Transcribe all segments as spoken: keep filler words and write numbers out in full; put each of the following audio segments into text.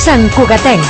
Sant Cugatenc.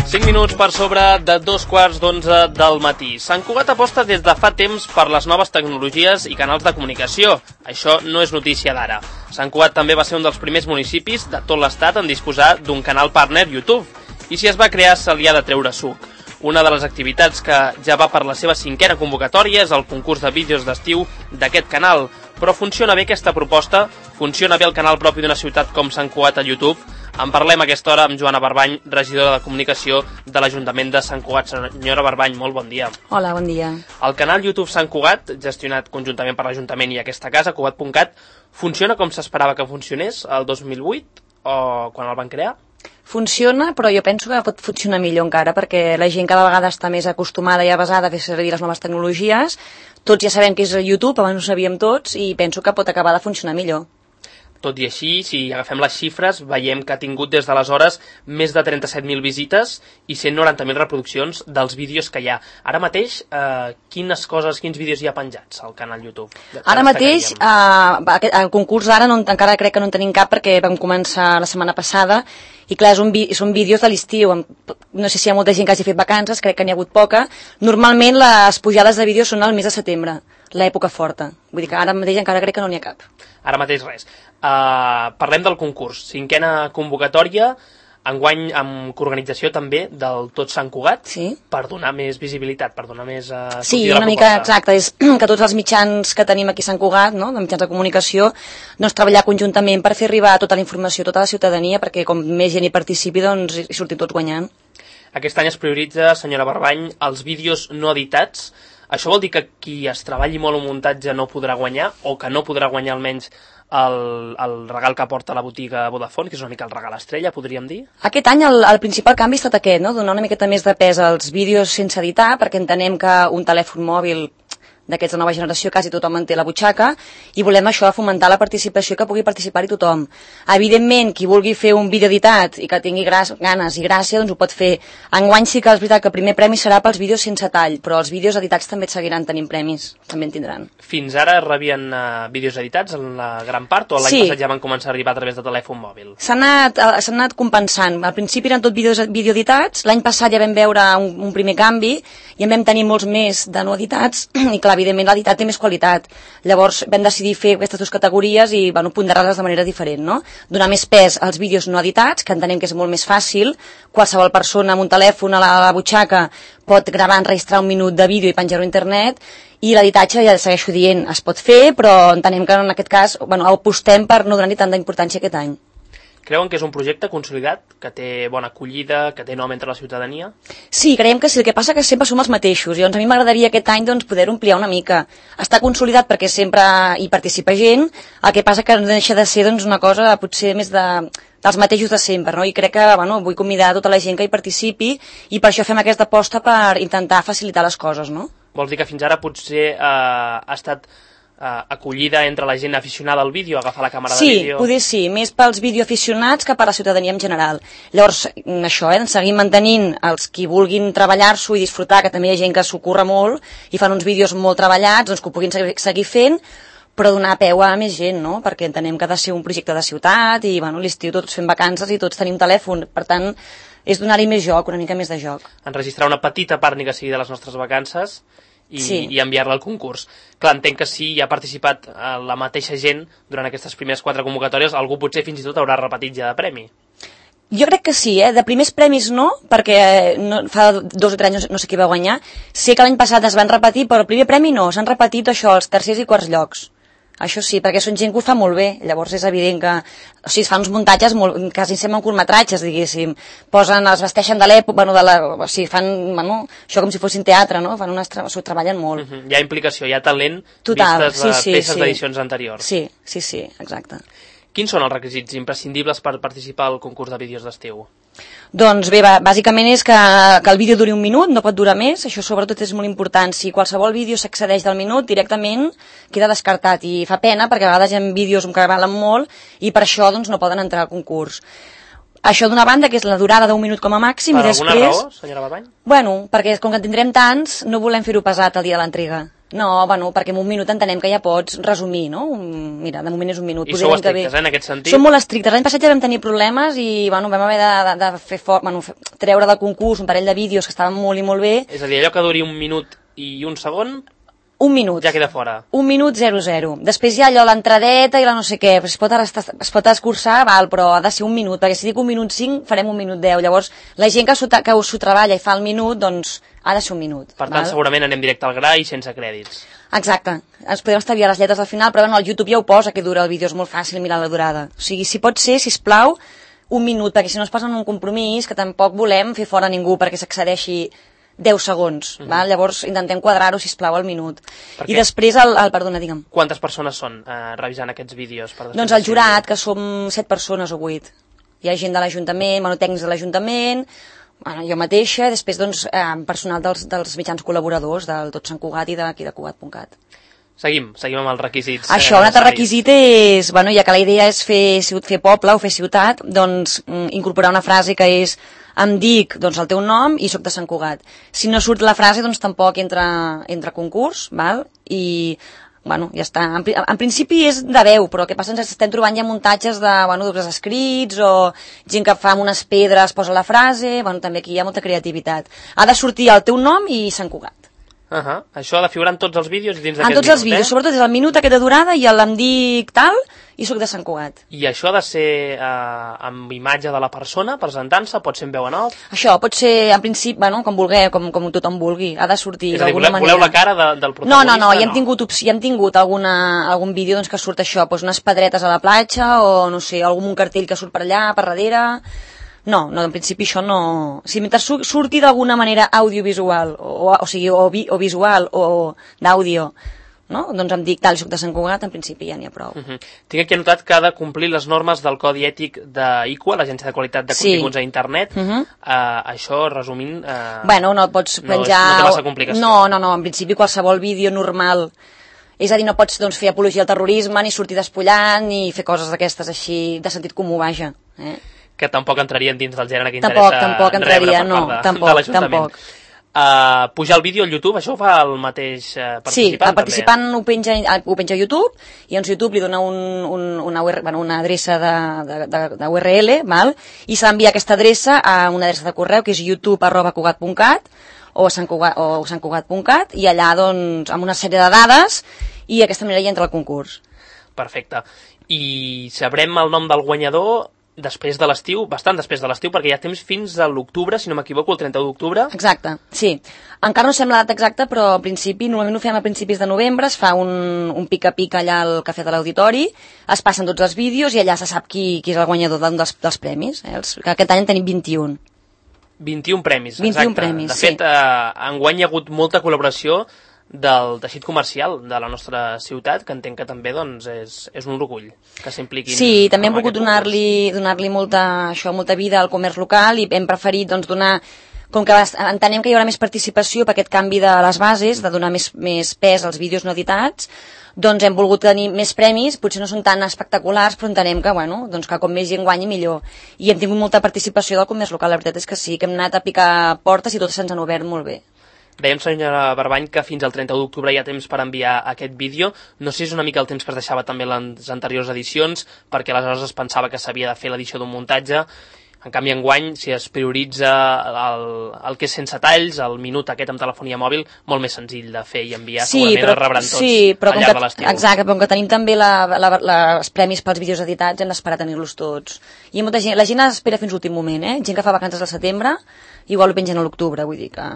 cinc minuts per sobre de dos quarts d'onze del matí. Sant Cugat aposta des de fa temps per les noves tecnologies i canals de comunicació. Això no és notícia d'ara. Sant Cugat també va ser un dels primers municipis de tot l'estat en disposar d'un canal partner YouTube. I si es va crear, se li ha de treure suc. Una de les activitats que ja va per la seva cinquena convocatòria és el concurs de vídeos d'estiu d'aquest canal. Però funciona bé aquesta proposta? Funciona bé el canal propi d'una ciutat com Sant Cugat a YouTube? En parlem a aquesta hora amb Joana Barbany, regidora de Comunicació de l'Ajuntament de Sant Cugat. Senyora Barbany, molt bon dia. Hola, bon dia. El canal YouTube Sant Cugat, gestionat conjuntament per l'Ajuntament i aquesta casa, cugat punt cat, funciona com s'esperava que funcionés el dos mil vuit o quan el van crear? Funciona, però jo penso que pot funcionar millor encara, perquè la gent cada vegada està més acostumada i avasada a fer servir les noves tecnologies. Tots ja sabem què és YouTube, abans ho sabíem tots, i penso que pot acabar de funcionar millor. Tot i així, si agafem les xifres, veiem que ha tingut des d'aleshores més de trenta-set mil visites i cent noranta mil reproduccions dels vídeos que hi ha. Ara mateix, eh, quines coses, quins vídeos hi ha penjats al canal YouTube? Ara mateix, eh, el concurs d'ara no, encara crec que no en tenim cap perquè vam començar la setmana passada i clar, és un, són vídeos de l'estiu. No sé si hi ha molta gent que hagi fet vacances, crec que n'hi ha hagut poca. Normalment les pujades de vídeos són al mes de setembre, l'època forta. Vull dir que ara mateix encara crec que no n'hi ha cap. Ara mateix res. Uh, parlem del concurs. Cinquena convocatòria, enguany amb coorganització també del Tot Sant Cugat, sí, per donar més visibilitat, per donar més uh, sí, una mica exacte, és que tots els mitjans que tenim aquí a Sant Cugat, no, de mitjans de comunicació, doncs treballar conjuntament per fer arribar tota la informació a tota la ciutadania, perquè com més gent hi participi, doncs hi sortim tots guanyant. Aquest any es prioritza, senyora Barbany, els vídeos no editats. Això vol dir que qui es treballi molt un muntatge no podrà guanyar, o que no podrà guanyar almenys el, el regal que porta la botiga Vodafone, que és una mica el regal estrella, podríem dir? Aquest any el, el principal canvi ha estat aquest, no? Donar una miqueta més de pes als vídeos sense editar, perquè entenem que un telèfon mòbil d'aquests de nova generació quasi tothom en té a la butxaca, i volem això, fomentar la participació, que pugui participar-hi tothom. Evidentment, qui vulgui fer un vídeo editat i que tingui ganes i gràcia, doncs ho pot fer. Enguany sí que és veritat que el primer premi serà pels vídeos sense tall, però els vídeos editats també seguiran tenint premis, també en tindran. Fins ara rebien uh, vídeos editats en la gran part, o l'any sí. passat ja van començar a arribar a través de telèfon mòbil? S'ha anat, uh, s'ha anat compensant. Al principi eren tot vídeos vídeo editats, l'any passat ja vam veure un, un primer canvi, i en vam tenir molts més de no editats, i clar, evidentment l'editat té més qualitat. Llavors vam decidir fer aquestes dues categories i bueno, ponderar-les de manera diferent, no? Donar més pes als vídeos no editats, que entenem que és molt més fàcil. Qualsevol persona amb un telèfon a la, a la butxaca pot gravar, enregistrar un minut de vídeo i penjar-ho a internet, i l'editatge, ja segueixo dient, es pot fer, però entenem que en aquest cas bueno, apostem per no donar-hi tanta importància aquest any. Creuen que és un projecte consolidat, que té bona acollida, que té nom entre la ciutadania? Sí, creiem que sí. El que passa que sempre som els mateixos. I doncs a mi m'agradaria aquest any doncs, poder ampliar una mica. Està consolidat perquè sempre hi participa gent, el que passa que no deixa de ser doncs, una cosa potser més de, dels mateixos de sempre, no? I crec que bueno, vull convidar tota la gent que hi participi i per això fem aquesta aposta per intentar facilitar les coses, no? Vols dir que fins ara potser eh, ha estat Uh, acollida entre la gent aficionada al vídeo, agafar la càmera sí, de vídeo? Sí, poder sí, més pels videoaficionats que per la ciutadania en general. Llavors, això, eh, seguim mantenint els qui vulguin treballar-s'ho i disfrutar, que també hi ha gent que s'ho curra molt i fan uns vídeos molt treballats, doncs que ho puguin seguir fent, però donar peu a més gent, no? Perquè entenem que ha de ser un projecte de ciutat i bueno, l'estiu tots fem vacances i tots tenim telèfon, per tant, és donar-hi més joc, una mica més de joc. Enregistrar una petita part ni que sigui de les nostres vacances i, sí. i enviar-la al concurs. Clar, entenc que si hi ha participat la mateixa gent durant aquestes primeres quatre convocatòries, algú potser fins i tot haurà repetit ja de premi. Jo crec que sí, eh? De primers premis no, perquè no, fa dos o tres anys no sé qui va guanyar. Sé que l'any passat es van repetir, però el primer premi no, s'han repetit això, els tercers i quarts llocs. Això sí, perquè són gent que ho fa molt bé, llavors és evident que o sigui, es fan uns muntatges molt, quasi semblen curtmetratges, diguéssim, posen, es vesteixen de l'època, bueno, de la, o sigui, fan, bueno, això com si fossin teatre, no? Fan unes, s'ho treballen molt. Uh-huh. Hi ha implicació, hi ha talent, total, vistes sí, les sí, peces sí. d'edicions anteriors. Sí, sí, sí, exacte. Quins són els requisits imprescindibles per participar al concurs de vídeos d'estiu? Doncs bé, bàsicament és que, que el vídeo duri un minut, no pot durar més, això sobretot és molt important. Si qualsevol vídeo s'accedeix del minut, directament queda descartat i fa pena perquè a vegades hi ha vídeos que valen molt i per això doncs, no poden entrar al concurs. Això d'una banda, que és la durada d'un minut com a màxim. Per i alguna després, raó, senyora Barbany? Bueno, perquè com que en tindrem tants, no volem fer-ho pesat el dia de l'entrega. No, bueno, perquè en un minut entenem que ja pots resumir, no? Mira, de moment és un minut. I sou estrictes, eh, en aquest sentit? Som molt estrictes. L'any passat ja vam tenir problemes i, bueno, vam haver de, de, de fer fort, bueno, treure del concurs un parell de vídeos que estaven molt i molt bé. És a dir, allò que duri un minut i un segon... Un minut. Ja queda fora. Un minut zero zero. Després hi ha allò, l'entradeta i la no sé què. Es pot, es pot escurçar, val, però ha de ser un minut, perquè si dic un minut cinc, farem un minut deu. Llavors, la gent que s'ho treballa i fa el minut, doncs ha de ser un minut. Per tant, val? segurament anem directe al gra i sense crèdits. Exacte. Ens podem estalviar les lletres al final, però bueno, al YouTube ja ho posa, que dura el vídeo, és molt fàcil mirar la durada. O sigui, si pot ser, sisplau, un minut, perquè si no es posen un compromís, que tampoc volem fer fora ningú perquè s'accedeixi deu segons, mm-hmm. val? Llavors intentem quadrar-ho, sisplau, al minut. I després, el, el, perdona, digue'm. Quantes persones són eh, revisant aquests vídeos? Per doncs el jurat, que som set persones o vuit. Hi ha gent de l'Ajuntament, bueno, tècnics de l'Ajuntament, bueno, jo mateixa, després doncs, eh, personal dels, dels mitjans col·laboradors del Tot Sant Cugat i d'aquí de Cugat punt cat. Seguim, seguim amb els requisits. Això, eh, un altre requisit és, bueno, ja que la idea és fer, fer poble o fer ciutat, doncs incorporar una frase que és em dic doncs, el teu nom i sóc de Sant Cugat. Si no surt la frase, doncs tampoc entra, entra concurs, val? I, bueno, ja està. En, en principi és de veu, però el que passa ens estem trobant ja muntatges de, bueno, dels escrits o gent que fa amb unes pedres posa la frase, bueno, també aquí hi ha molta creativitat. Ha de sortir el teu nom i Sant Cugat. Uh -huh. Això ha de figurar en tots els vídeos i dins d'aquest minut, En tots els vídeos, eh? sobretot és el minut aquest de durada i el em dic tal i sóc de Sant Cugat. I això ha de ser eh, amb imatge de la persona presentant-se, pot ser en veu en off? Això pot ser, en principi, bueno, com vulgueu, com, com tothom vulgui, ha de sortir d'alguna manera. Voleu la cara de, del protagonista? No, no, no, ja hem tingut, ja hem tingut alguna, algun vídeo doncs, que surt això, doncs unes pedretes a la platja o, no sé, algun cartell que surt per allà, per darrere... No, no, en principi això no... Si mentre surti d'alguna manera audiovisual, o, o, o sigui, o, vi, o visual, o d'àudio, no? Doncs em dic tal, soc de Sant Cugat, en principi ja n'hi ha prou. Uh -huh. Tinc aquí anotat que ha de complir les normes del Codi Ètic d'I Q A, l'Agència de Qualitat de Continguts sí. a Internet. Uh -huh. uh, això, resumint... Uh, bueno, no pots penjar... No, és, no té massa complicació. No, no, no, en principi qualsevol vídeo normal... És a dir, no pots doncs, fer apologia al terrorisme, ni sortir despullant, ni fer coses d'aquestes així, de sentit comú, vaja. Eh? Que tampoc entrarien dins del gènere que tampoc, interessa tampoc entraria, rebre per no, part de, tampoc, de l'Ajuntament. Tampoc. Uh, pujar el vídeo al YouTube, això ho fa el mateix uh, participant? Sí, el participant ho penja, ho penja a YouTube i doncs YouTube li dona un, un, una, bueno, una adreça de, de, de, de U R L, val? I s'ha d'enviar aquesta adreça a una adreça de correu que és youtube arroba cugat punt cat o sant cugat punt cat i allà doncs amb una sèrie de dades i d'aquesta manera hi entra el concurs. Perfecte. I sabrem el nom del guanyador després de l'estiu, bastant després de l'estiu, perquè hi ha temps fins a l'octubre, si no m'equivoco, el trenta-u d'octubre. Exacte, sí. Encara no sembla la data exacta, però al principi, normalment ho fem a principis de novembre, es fa un, un pica-pica allà al Cafè de l'Auditori, es passen tots els vídeos i allà se sap qui, qui és el guanyador d'un dels, dels premis. Eh? Els, que aquest any en tenim vint-i-un. vint-i-un premis, vint-i-un exacte. premis, de fet, sí. eh, enguany hi ha hagut molta col·laboració del teixit comercial de la nostra ciutat, que entenc que també doncs, és, és un orgull que s'impliquin. Sí, també hem volgut donar-li donar-li molta, això, molta vida al comerç local i hem preferit doncs, donar, com que entenem que hi haurà més participació per aquest canvi de les bases, de donar més, més pes als vídeos no editats, doncs hem volgut tenir més premis, potser no són tan espectaculars, però entenem que, bueno, doncs que com més gent guanyi millor. I hem tingut molta participació del comerç local, la veritat és que sí, que hem anat a picar portes i totes se'ns han obert molt bé. Dèiem, senyora Barbany, que fins al trenta-u d'octubre hi ha temps per enviar aquest vídeo. No sé si és una mica el temps que es deixava també les anteriors edicions, perquè aleshores es pensava que s'havia de fer l'edició d'un muntatge. En canvi, enguany, si es prioritza el, el que és sense talls, el minut aquest amb telefonia mòbil, molt més senzill de fer i enviar, sí, segurament però, el rebran tots sí, però al llarg que, de l'estiu. Exacte, però com que tenim també la, la, la, els premis pels vídeos editats, hem d'esperar a tenir-los tots. I molta gent, la gent espera fins l'últim moment, eh? Gent que fa vacances al setembre, igual ho pengen a l'octubre, vull dir que...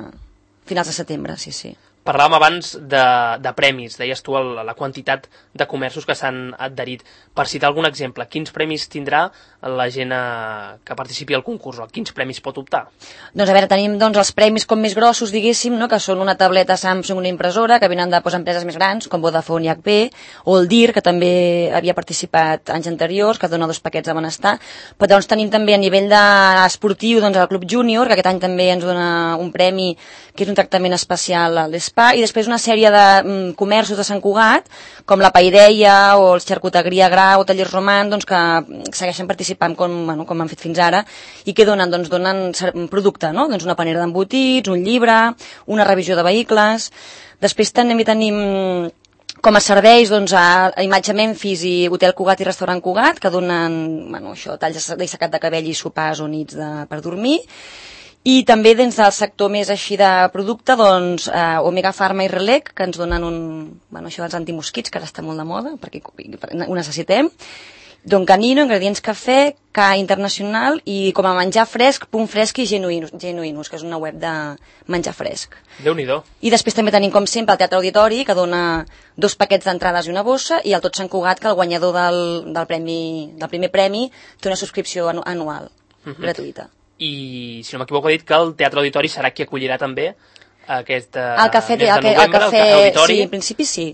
finals de setembre, sí, sí. Parlàvem abans de, de premis, deies tu el, la quantitat de comerços que s'han adherit. Per citar algun exemple, quins premis tindrà la gent eh, que participi al concurs, o quins premis pot optar? Doncs a veure, tenim doncs, els premis com més grossos, diguéssim, no? Que són una tableta Samsung, una impressora, que venen de pues, empreses més grans, com Vodafone i H P, o el D I R, que també havia participat anys anteriors, que dona dos paquets de benestar. Però doncs tenim també a nivell de esportiu doncs, el Club Júnior, que aquest any també ens dona un premi, que és un tractament especial a l'Spa, i després una sèrie de mm, comerços de Sant Cugat, com la Paideia o el Xarcuteria Grau o Tallers Roman, doncs, que segueixen participant com, bueno, com han fet fins ara, i que donen, doncs, donen producte, no? Doncs una panera d'embotits, un llibre, una revisió de vehicles. Després també tenim com a serveis doncs, a Imatge Memphis i Hotel Cugat i Restaurant Cugat, que donen bueno, això, talls d'assecat de cabell i sopars o nits de, per dormir. I també dins del sector més així de producte, doncs, eh, Omega Pharma i Relec, que ens donen un, bueno, això dels antimosquits, que ara està molt de moda, perquè ho necessitem. Don Canino, ingredients cafè, K Internacional i com a menjar fresc, Punt Fresc i Genuïnus, Genuïnus, que és una web de menjar fresc. Déu-n'hi-do. I després també tenim, com sempre, el Teatre Auditori, que dona dos paquets d'entrades i una bossa, i el Tot Sant Cugat, que el guanyador del, del, premi, del primer premi té una subscripció anual, uh-huh. gratuïta. I, si no m'equivoco, ha dit que el Teatre Auditori serà qui acollirà també aquest uh, el cafè, mes de el, novembre, el cafè, el Cafè Auditori. Sí, en principi sí.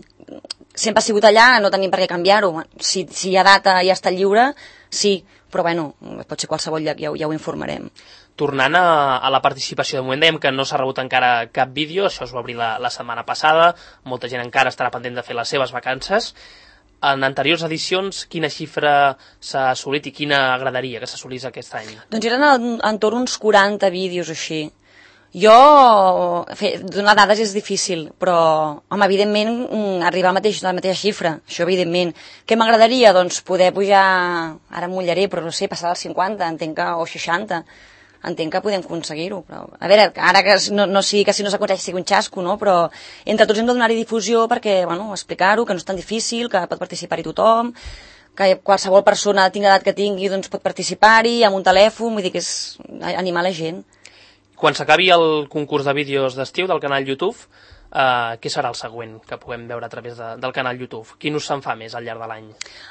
Sempre ha sigut allà, no tenim per què canviar-ho. Si, si hi ha data i ja està lliure, sí, però bueno, pot ser qualsevol lloc, ja, ja ho informarem. Tornant a, a la participació, de moment dèiem que no s'ha rebut encara cap vídeo, això es va obrir la, la setmana passada, molta gent encara estarà pendent de fer les seves vacances. En anteriors edicions, quina xifra s'ha assolit i quina agradaria que s'assolís aquest any? Doncs eren entorn uns quaranta vídeos així. Jo, fer, donar dades és difícil, però, home, evidentment, arribar a, mateix, a la mateixa xifra, això evidentment. Què m'agradaria? Doncs poder pujar, ara em mullaré, però no sé, passar dels cinquanta, entenc que, o seixanta. Entenc que podem aconseguir-ho, però... A veure, ara que no, no sigui que si no s'aconsegueix sigui un xasco, no? Però entre tots hem de donar-hi difusió perquè, bueno, explicar-ho, que no és tan difícil, que pot participar-hi tothom, que qualsevol persona tingui l'edat que tingui doncs pot participar-hi amb un telèfon, vull dir que és animar la gent. Quan s'acabi el concurs de vídeos d'estiu del canal YouTube, Uh, què serà el següent que puguem veure a través de, del canal YouTube? Quin us se'n fa més al llarg de l'any?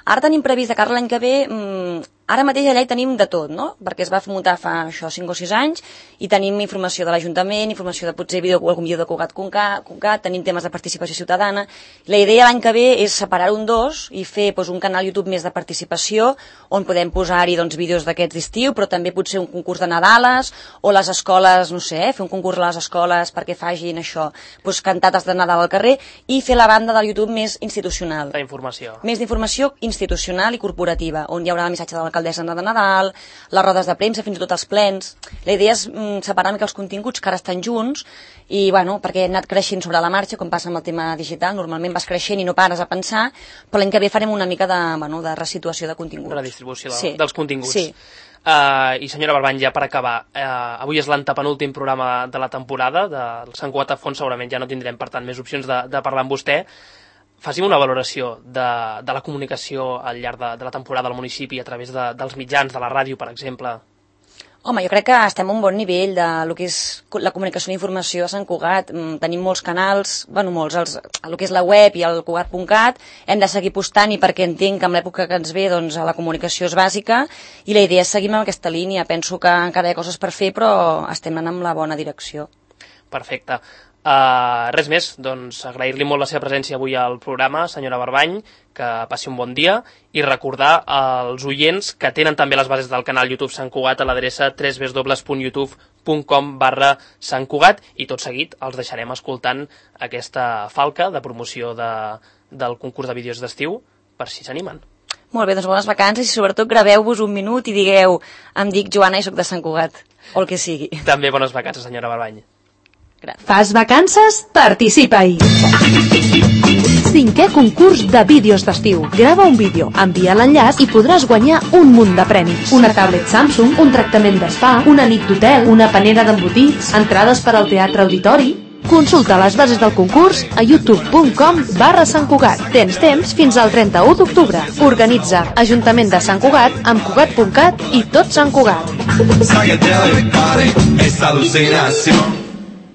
Ara tenim previst de cara l'any que ve, mmm, ara mateix allà hi tenim de tot, no? Perquè es va muntar fa això cinc o sis anys i tenim informació de l'Ajuntament, informació de potser vídeo, algun vídeo de Cugat, tenim temes de participació ciutadana. La idea l'any que ve és separar un dos i fer doncs, un canal YouTube més de participació on podem posar-hi doncs, vídeos d'aquests d'estiu, però també potser un concurs de Nadales o les escoles, no sé, fer un concurs a les escoles perquè facin això, doncs, cantates de Nadal al carrer i fer la banda del YouTube més institucional. La informació. Més d'informació institucional i corporativa, on hi haurà el missatge de l'alcaldessa de Nadal, les rodes de premsa, fins i tot els plens. La idea és mm, separar una mica els continguts que ara estan junts i, bueno, perquè hem anat creixent sobre la marxa, com passa amb el tema digital, normalment vas creixent i no pares a pensar, però l'any que ve farem una mica de, bueno, de resituació de continguts. De la distribució de, sí. dels continguts. Sí. Uh, I senyora Barbany, ja per acabar, uh, avui és l'antepenúltim programa de la temporada del Sant Cugat a Fons, segurament ja no tindrem per tant més opcions de, de parlar amb vostè. Faci'm una valoració de, de la comunicació al llarg de, de la temporada al municipi a través de, dels mitjans, de la ràdio, per exemple. Home, jo crec que estem a un bon nivell de lo que és la comunicació i informació a Sant Cugat. Tenim molts canals, bueno, molts, els, el que és la web i el cugat punt cat, hem de seguir postant-hi perquè entenc que en l'època que ens ve doncs, la comunicació és bàsica i la idea és seguir amb aquesta línia. Penso que encara hi ha coses per fer, però estem anant amb la bona direcció. Perfecte. Uh, res més, doncs agrair-li molt la seva presència avui al programa, senyora Barbany, que passi un bon dia i recordar als oients que tenen també les bases del canal YouTube Sant Cugat a l'adreça w w w punt youtube punt com barra Sant Cugat i tot seguit els deixarem escoltant aquesta falca de promoció de, del concurs de vídeos d'estiu per si s'animen. Molt bé, doncs bones vacances i sobretot graveu-vos un minut i digueu em dic Joana i soc de Sant Cugat, o el que sigui. També bones vacances, senyora Barbany. Gràcies. Fas vacances? Participa-hi! Cinquè concurs de vídeos d'estiu. Grava un vídeo, envia l'enllaç i podràs guanyar un munt de premis. Una tablet Samsung, un tractament d'espa, una nit d'hotel, una panera d'embotits, entrades per al Teatre Auditori. Consulta les bases del concurs a youtube punt com barra Sant Cugat. Tens temps fins al trenta-u d'octubre. Organitza Ajuntament de Sant Cugat amb cugat punt cat i tot Sant Cugat.